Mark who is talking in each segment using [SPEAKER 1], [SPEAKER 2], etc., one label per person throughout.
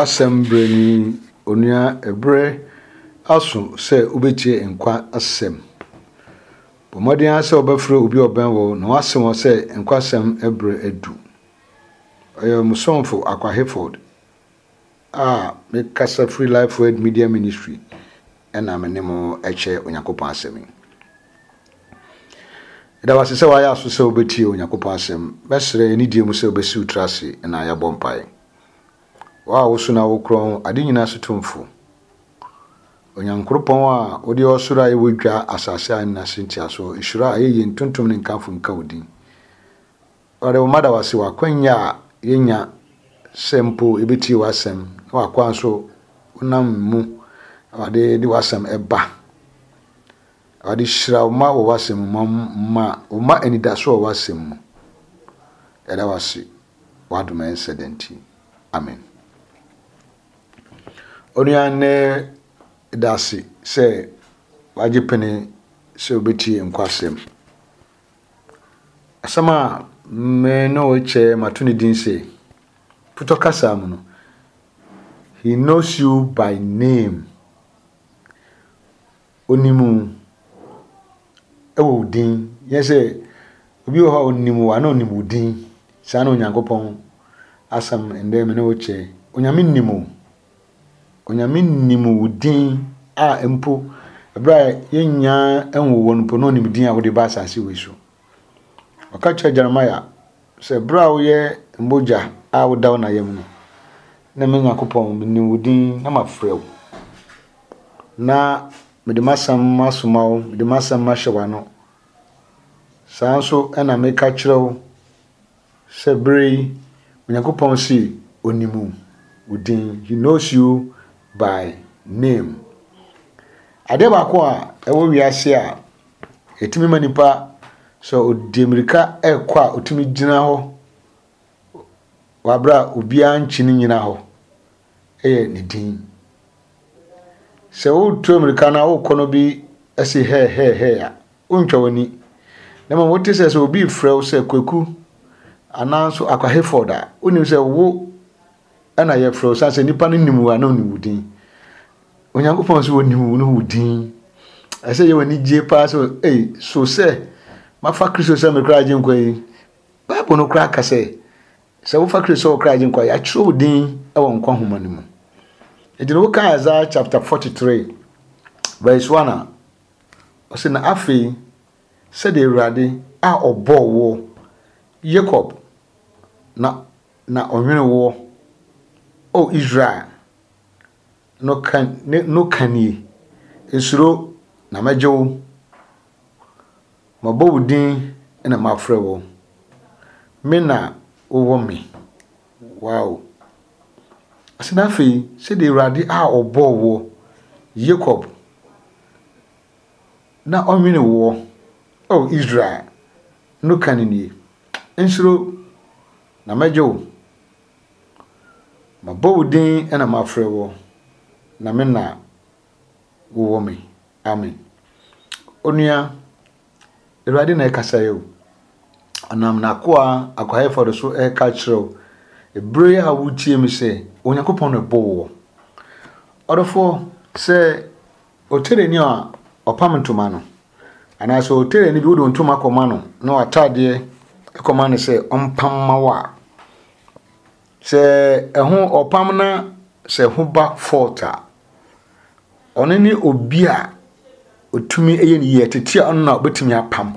[SPEAKER 1] Asɛm berɛ ni, onua, ɛberɛ aso sɛ wobɛtie nkwa asɛm. Bɔ mmɔden ara sɛ wobɛfrɛ obi a ɔbɛn wo na woase wɔn sɛ nkwa asɛm berɛ adu. Ɔyɛ mo somfo Akwa Hayford a mekasa firi Life Word Media Ministry ɛna me ne mo kyɛ Onyankopɔn asɛm yi. Ɛda wase sɛ wayɛ aso sɛ wobɛtie Onyankopɔn asɛm. Mɛsrɛ anidie mu sɛ wobɛsi wo tiri ase na yɛabɔ mpaeɛ. Wo a woso na wokorɔn ade nyinaa so tumfo, Onyankoropɔn a wode ɔsoro a ɛwɔ dwa, asase a ɛnna ase ntiaso, nhyira, ayɛyie, ntontom ne nkamfo nka wo din. Awurade, wo mma da wo ase wɔ akwannya a yɛnya sɛ mpo yɛbɛtie w'asɛm na w'akoa nso wonam mu Awurade de w'asɛm ɛba. Awurade hyira wo mma wɔ w'asɛm mu, ma ma wo mma anidaso wɔ w'asɛm mu. Yɛda wo ase. W'adom a ɛnsɛ da nti, amen. Onua nnɛ da ase sɛ wagye pene sɛ obetie nkwasɛm. Asɛm a me ne wo kyɛ mato ne din sɛ putɔ kasa mu no, he knows you by name. Onim wo wɔ wo din. Nyɛ sɛ obi wɔ hɔ a onim wo a na onim wo din. Saa na Onyankopɔn asɛm ndɛ me ne wo kyɛ. Onyame nim wo. Onyame nim wo din a mpo ɛberɛ a yɛnnya nwo wo no mpo na onim din a wode ba asase wei so. Ɔka kyerɛ Jeremiah sɛ berɛ a woyɛ mogya a woda wo na yam no, na me Nyankopɔn menim wo din na mafrɛ wo. Na mede m'asɛm masoma wo, mede m'asɛm mahyɛ w'ano. Saa nso na meka kyerɛ wo sɛ berɛ yi, Onyankopɔn se onim wo din. He knows you by name. Adeɛ baako a ɛwɔ wiase a ɛtumi ma nipa sɛ ɔdi mmirika ɛrekɔ a ɔtumi gyina hɔ wɔ aberɛ a obiara nkyi no nyina hɔ yɛ ne din. Sɛ woretu mmirika na worekɔ no bi si hɛɛhɛɛhɛɛ a, wontwa w'ani. Na mmom wote sɛ sɛ obi refrɛ wo sɛ Kwaku anaa nso Akwa Hayford a, wonim sɛ wo na yɛfrɛ wo sane sɛ nnipa no nim wo a na onim wo din. Onyankopɔn nso onim wo ne wo din. Ɛsɛ yɛ w'ani gye paa sɛ ei so sɛ mafa Kristo sɛ me kra agyenkwa yi. Bible no koraa ka sɛ Sɛ wofa Kristo sɛ wo kra Agyenkwa a, yɛatwerɛ wo din wɔ nkwa nhoma no mu. Enti no woka Isaiah chapter 43 verse 1 a, ɔse na afei sɛdeɛ Awurade a ɔbɔɔ woɔ, Yakob, na na ɔnwene woɔ, O Israel, no ka, ne, no ka nie, Nsuro, na mɛgye wo. Mabɔ wo din na mafrɛ wo. Me na wowɔ me. Wow. Ɔsɛ na afei, sɛdeɛ Awurade a ɔbɔɔ woɔ, Yakob, na ɔnwene woɔ, O Israel, no ka no nie, Nsuro, na mɛgye wo. Mabɔ wo din na mafrɛ wo, na me na wowɔ me. Amen. Onua, Awurade na ɛkasa yi o. Ɔnam n'akoa Akwa Hayford so ɛreka kyerɛ wo. Ebere a wotie me sɛ, Onyankopɔn na ɛbɔ woɔ. Ɔdɔfoɔ, sɛ otereni a ɔpam ntoma no, anaasɛ otereni bi wode ntoma kɔma no na w'ataadeɛ kɔma no sɛ ɔmpam ma wo a, sɛ ɛho ɔpam na sɛ ɛho ba fault a, Ɔno ne obi a ɔtumi yɛ ne yie, tete a ɔno na ɔbɛtumi apam.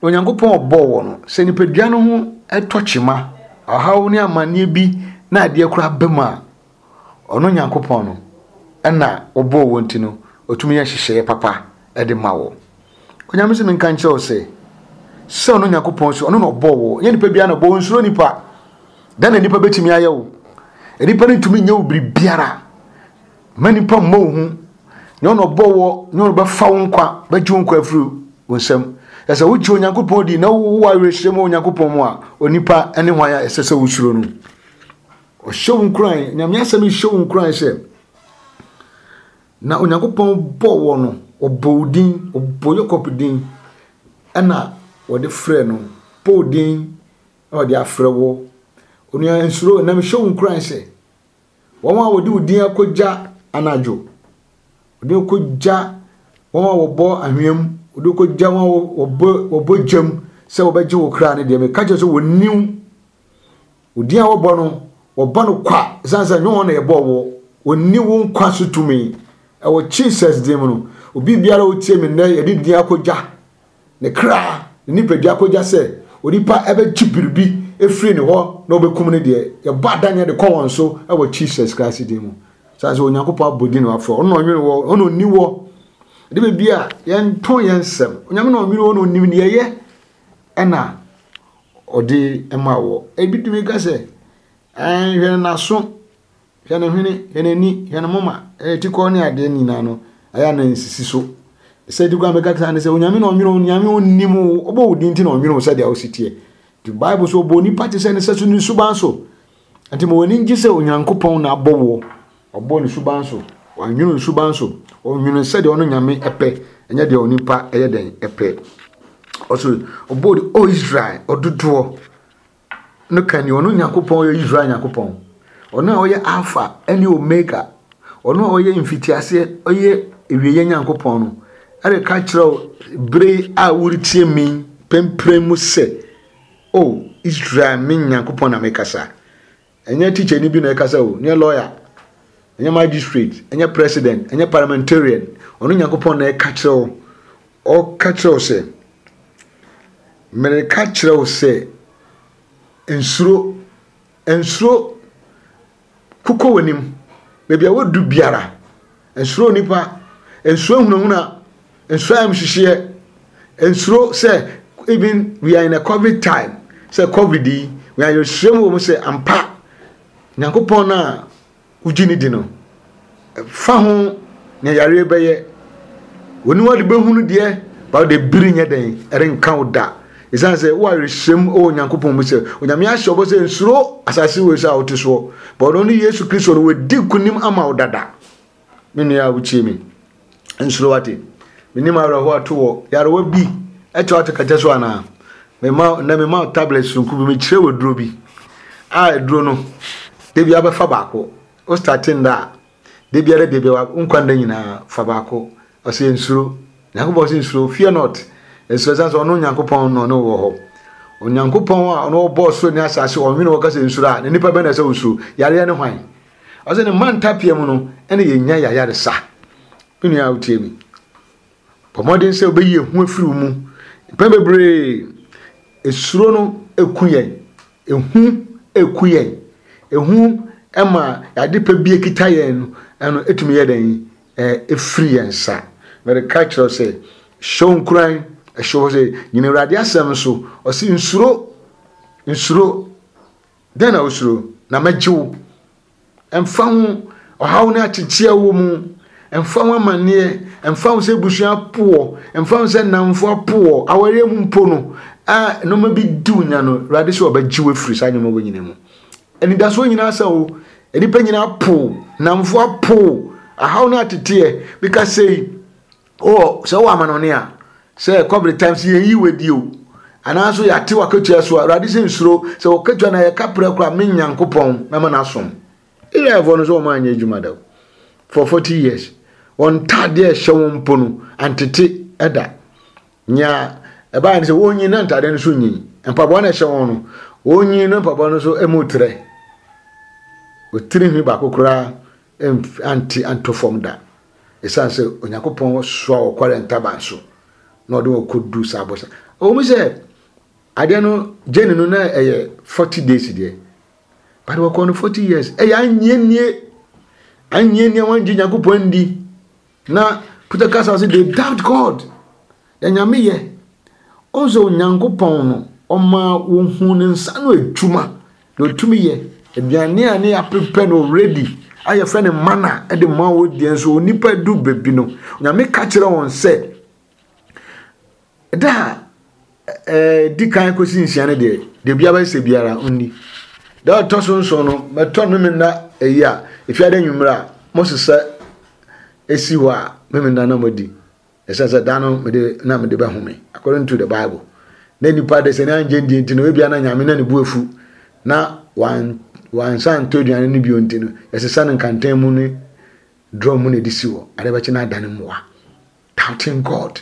[SPEAKER 1] Na Onyankopɔn ɔbɔɔ wɔ no, sɛ nipadua no ho tɔ kyema, ɔhaw ne amanneɛ bi na adeɛ koraa ba mu a, ɔno Nyankopɔn no ɛna ɔbɔɔ wɔ nti no, ɔtumi yɛ nhyehyɛeɛ papa de ma wɔ. Onyame sɛ menka nkyerɛ wo sɛ, sɛ ɔno Nyankopɔn sɛ ɔno na ɔbɔɔ wɔ, nyɛ nipa biara na ɔbɔ wo, nsuro nipa. Dɛn na nipa bɛtumi ayɛ wo? Nipa no ntumi nyɛ wo biribiara. Mma nnipa mmɔ wo hu. Nyɛ ɔna ɔbɔ wɔ, nyɛ ɔna bɛfa wo nkwa, bɛgye wo nkwa afiri wo nsam. Ɛsɛ wogye Onyankopɔn di na wowɔ awerɛhyɛmu wɔ Onyankopɔn mu a, onipa ne hwan a ɛsɛ sɛ wosuro no? Ɔhyɛ wo nkuran, Nyame asɛm yi hyɛ wo nkuran sɛ, na Onyankopɔn bɔ wɔ no, ɔbɔ wo din, ɔbɔ Yakob din, ɛna wɔde frɛ no, bɔ wo din na wɔde afrɛ wo. Onua nsuro, na mehyɛ wo nkuran sɛ, Wɔn a wɔde wo din akɔgya anadwo, wɔde wo kɔgya wɔn a wɔbɔ anhwea mu, wɔde wo kɔgya wɔn a wɔbɔ wɔbɔ gya mu sɛ wɔbɛgye wo kra no deɛ, meka kyerɛ sɛ wɔnni wo. Wo din a wɔbɔ no, wɔbɔ no kwa, ɛsiane sɛ ɛnyɛ wɔn na yɛbɔɔ woɔ. Wɔnni wo nkwa so tumi. Ɛwɔ Jesus din mu no, obi biara a ɔtie me nnɛ, yɛde din akɔgya ne kra, ne nipadua akɔgya sɛ onipa ɛbɛgye biribi efiri ne hɔ na ɔbɛkum no deɛ, yɛbɔ adanneɛ de kɔ wɔn so ɛwɔ Jesus Christ din mu. Sane sɛ Onyankopɔn abɔ din na wafrɛ, ɔno na ɔnwene wɔ, ɔno na ɔni wɔ. Ɛde baabi a yɛnto yɛn nsɛm, Onyame na ɔnwene wɔ na ɔnim deɛ ɛyɛ ɛna ɔde ma wɔ. Ebi tumi ka sɛ, ɛn hwɛ n'aso, hwɛ ne hwene, hwɛ n'ani, hwɛ ne moma, ɛyɛ tikɔ ne adeɛ nyinaa no, ɛyɛ na nsisi so. Sɛ di kwan bɛka saa ne sɛ, Onyame na ɔnwene wo, Onyame ɔnim wo, ɔbɔ wo din nti na ɔnwene wo sɛdeɛ wosi teɛ. Nti Bible so ɔbɔ onipa te sɛ ne sɛso ne suban so. Nti ma w'ani ngye sɛ Onyankopɔn na abɔ woɔ. Ɔbɔ ne suban so, wanwene ne suban so, ɔnwene sɛdeɛ ɔno Nyame pɛ, ɛnyɛ deɛ onipa ɛyɛ dɛn ɛpɛ. Ɔso ɔbɔ de, O Israel, ɔdodoɔ no ka ni, ɔno Nyankopɔn ɔyɛ Israel Nyankopɔn, ɔno a ɔyɛ Alpha ɛne Omega, ɔno a ɔyɛ mfitiaseɛ, ɔyɛ awieɛ Nyankopɔn no, ɛreka kyerɛ wo bere a woretie me pɛmprɛn mu sɛ, O Israel, me Nyankopɔn na mekasa. Ɛnyɛ tikyani bi na ɛkasa o, ɛnyɛ lawyer, ɛnyɛ magistrate, ɛnyɛ president, ɛnyɛ parliamentarian. Ɔno Nyankopɔn na ɛka kyerɛ wo. Ɔka kyerɛ wo sɛ, mereka kyerɛ wo sɛ, nsuro, nsuro, kokɔ w'anim, baabi a wodu biara, nsuro nipa, nsuro hunahuna, nsuro ayamhyehyeɛ, nsuro sɛ even we are in a covid time, sɛ covid yi, we are yɛsua mu wɔ mu sɛ ampa, Nyankopɔn no a wogye ne di no, fa ho nea yareɛ bɛyɛ, w'aniwa de bɛhunu deɛ, ba wode biri nyɛ dɛn, ɛrenka wo da. Ɛsiane sɛ wowɔ awerɛhyɛm wɔ Onyankopɔn mu sɛ Onyame ahyɛ ɔbɔ sɛ nsuro asase wei so a wote soɔ, ba ɔno ne Yesu Kristo no wadi nkonim ama wo dada. Me nua a wotie me, nsuro wate. Menim awerɛhoɔ ato wɔ yarewa bi ɛkyɛ wate kɛtɛ so anaa? Mema na mema tablet sononko bi mekyerɛ wɔ duro bi a aduro no da bi abɛfa baako wo starte nda a da biara da biara wo nkwa nda nyinaa fa baako ɔsɛ nsuro Nyankopɔn sɛ nsuro fear not nsuro ɛsan sɛ ɔno Nyankopɔn na ɔne wɔ hɔ Onyankopɔn a ɔno ɔbɔɔ soro ne asase ɔnwene wɔ kasa nsuro a na nipa bɛn na ɛsɛ osuro yareɛ ne hwan ɔsɛ ne mma ntapea mu no ɛna yɛnya yayaresa me nua a wotie mi Bɔ mmɔden sɛ wobɛyi ehu afiri wo mu. Mpɛn bebree, esuro no eku yɛn. Ehu eku yɛn. Ehu ma ade pa bi ekita yɛn no, ɛno etumi yɛ dɛn? Efiri yɛn nsa. Mɛreka kyerɛ sɛ, hyɛ wo nkuran, hyɛ wo sɛ, nyina Awurade asɛm so. Ɔse nsuro, nsuro. Dɛn na wosuro? Na mɛgye wo. Ɛmfa ho ɔhaw ne akyekye a ɛwɔ mu, ɛmfa ho amanneɛ, ɛmfa ho sɛ abusua apo wɔ, ɛmfa ho sɛ nnamfo apo wɔ, awareɛ mu mpo no, a nneɛma bi di wo nya no, Awurade sɛ ɔbɛgye wo afiri saa nneɛma wɔ nyina mu. Anidasoɔ nyinaa sɛ o, nnipa nyinaa apo, nnamfo apo, ahaw ne ateteɛ, meka sei, Wowɔ sɛ wowɔ amanɔne a, sɛ kɔbere times yɛn yi wadi o, anaa nso yɛate w'akatua so a, Awurade sɛ nsuro, sɛ w'akatua na yɛka prɛ koraa, me Nyankopɔn mɛma no asom. Israelfoɔ no sɛ wɔn anyɛ adwuma da for 40 years, wɔn ntaadeɛ a ɛhyɛ wɔn mpo no antete da. Nea ɛbaeɛ no sɛ wɔnyin na ntaadeɛ no so nyin, mpaboa no ɛhyɛ wɔn no, wɔnyin na mpaboa no so mu trɛ. Otiri nhwi baako koraa ante anto fam da. Esiane sɛ Onyankopɔn soa ɔkɔre ntaban so na ɔde wɔn kɔdu saa bɔhyɛ. Ɛwɔ mu sɛ adeɛ no journey no na ɛyɛ 40 days deɛ, but wɔkɔ no 40 years. Ɛyɛ anyienie, anyienie wɔn gye Nyankopɔn ndi. Na Peter kasa sɛ they doubt God. Na Nyame yɛ. Ɔhu sɛ Onyankopɔn no, ɔma wɔhu ne nsa ano adwuma, na ɔtumi yɛ. Aduane a ne yɛapepɛ no already, a yɛfrɛ no mana de ma wo deɛ nso, onipa du baabi no, Nyame ka kyerɛ wɔn sɛ, da a ɛdi kan kɔsi nsia no deɛ, deɛ biara bɛsɛ biara ɔnni. Da a ɔtɔ so nson no, mɛtɔ no memenda ayi a, efiada anwummerɛ a, mosesa esi hɔ a, memenda na moadi. Ɛsɛ sɛ da no mede na mede bɛhome according to the bible na nipa de sɛ ne angye ndie nti no ebia na nyame na ne bu afu na wan Wansan antɔ aduane no bio nti no, yɛsesa no nkantan mu ne drum mu na ɛde si hɔ. Ade bɛkye no adane mmoa. Doubting God.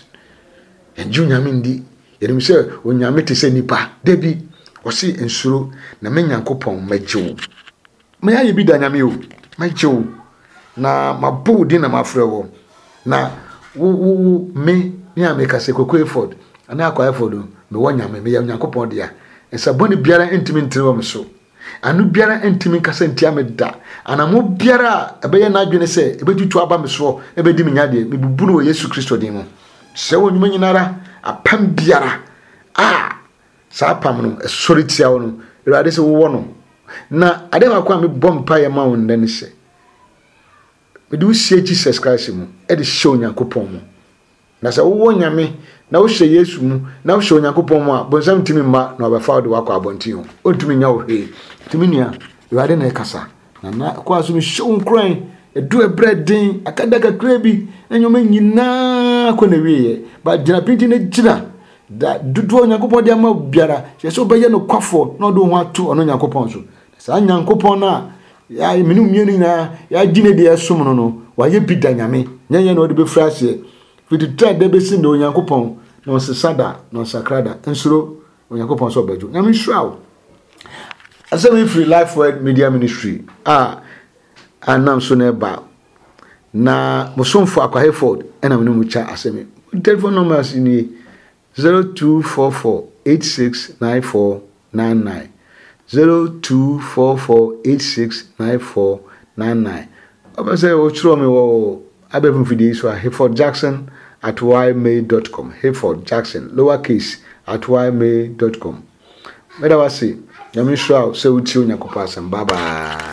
[SPEAKER 1] Yɛngye Onyame ndi. Yɛnim sɛ Onyame te sɛ nipa. Dabi, ɔse nsuro, na me Nyankopɔn mɛgye wo. Mayɛ bi da Nyame o, mɛgye wo. Na mabɔ wo din na mafrɛ wo. Na wo, wo, wo, me, me a meka sɛ Koko Eford, anaa Akwa Eford o, mewɔ Nyame, meyɛ Onyankopɔn dea. Nsa bɔne biara ntumi ntene wɔ me so. Ano biara ntumi nkasa ntia me da. Anammɔn biara a ɛbɛyɛ n'adwene sɛ ɛbɛtutu aba me soɔ na ɛbɛdi me nya deɛ, mebubu no wɔ Yesu Kristo din mu. Sɛ wɔ nnwuma nyinara, apam biara a saa apam no ɛsɔre tia wo no, Awurade sɛ wowɔ no. Na adeɛ baako a mebɔ mpaeɛ ma wo nnɛ ne sɛ, mede wo sie Jesus Christ mu de hyɛ Onyankopɔn mu. Na sɛ wowɔ Nyame, na wohyɛ Yesu mu, na wohyɛ Onyankopɔn mu a, bonsam ntumi mma na ɔbɛfa wo de wakɔ abɔnten o. Ɔntumi nya wo hwee. Nti me nua, Awurade na ɛkasa. Na na kɔ aso mehyɛ wo nkuran. Ɛdu ɛberɛ den, aka da kakra bi, na nneɛma nyinaa kɔ na wieɛ. Ba gyina pinti na gyina. Da dodoɔ Onyankopɔn de ama wo biara, hyɛ sɛ wobɛyɛ nokwafoɔ na ɔde wo ho ato ɔno Nyankopɔn so. Saa Nyankopɔn no a yɛ mene mmienu nyinaa yɛagye ne deɛ ɛsom no no, wayɛ bi da Nyame. Nyɛ yɛn na ɔde bɛfiri aseɛ. Firi tete da bɛsi nnɛ Onyankopɔn na ɔnsesa da na ɔnsakra da. Nsuro Onyankopɔn sɛ ɔbɛgye wo. Nyame nhyira wo. Asɛm yi firi Life Word Media Ministry a anam so na ɛba. Na mo somfo Akwa Hayford ɛna me ne mo kya asɛm yi. Telephone numbers nie 0244 8694 99 0244 8694 99. Wopɛ sɛ wokyerɛw me wɔ abɛɛfo mfidie yi so a, Hayford Jackson at ymail dot com Hayford Jackson lower case at ymail dot com. Meda wo ase. Nyame nhyira wo sɛ wotie Onyankopɔn asɛm. Bye bye.